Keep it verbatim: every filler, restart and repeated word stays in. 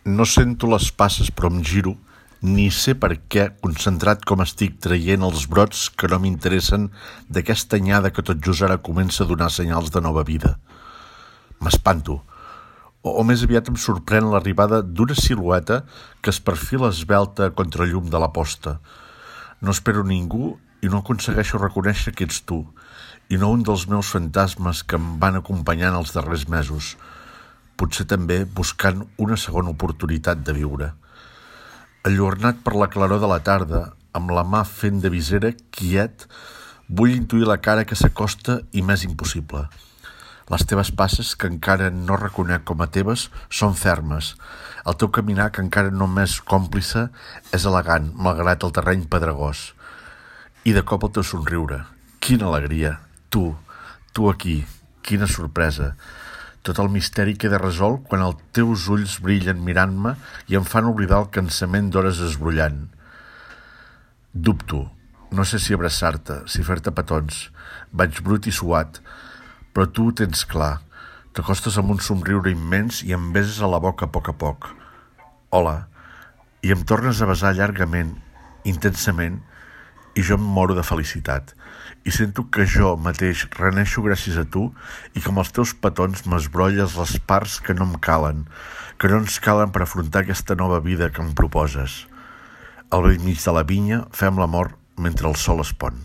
No sento les passes però em giro, ni sé per què, concentrat com estic traient els brots que no m'interessen d'aquesta anyada que tot just ara comença a donar senyals de nova vida. M'espanto, o, o més aviat em sorprèn l'arribada d'una silueta que es perfila esvelta contra el llum de la posta. No espero ningú i no aconsegueixo reconèixer que ets tu, i no un dels meus fantasmes que em van acompanyant els darrers mesos, potser també buscant una segona oportunitat de viure. Enlluernat per la claror de la tarda, amb la mà fent de visera, quiet, vull intuir la cara que s'acosta i m'és impossible. Les teves passes, que encara no reconec com a teves, són fermes. El teu caminar, que encara no m'és còmplice, és elegant, malgrat el terreny pedregós. I de cop el teu somriure. Quina alegria! Tu, tu aquí, quina sorpresa! Tot el misteri queda resolt quan els teus ulls brillen mirant-me i em fan oblidar el cansament d'hores esbrollant. Dubto, no sé si abraçar-te, si fer-te petons. Vaig brut i suat, però tu ho tens clar. T'acostes amb un somriure immens i em beses a la boca a poc a poc. Hola, i em tornes a besar llargament, intensament, i jo em moro de felicitat. I sento que jo mateix reneixo gràcies a tu i que amb els teus petons m'esbrolles les parts que no em calen, que no ens calen per afrontar aquesta nova vida que em proposes. Al bell mig de la vinya fem l'amor mentre el sol es pon.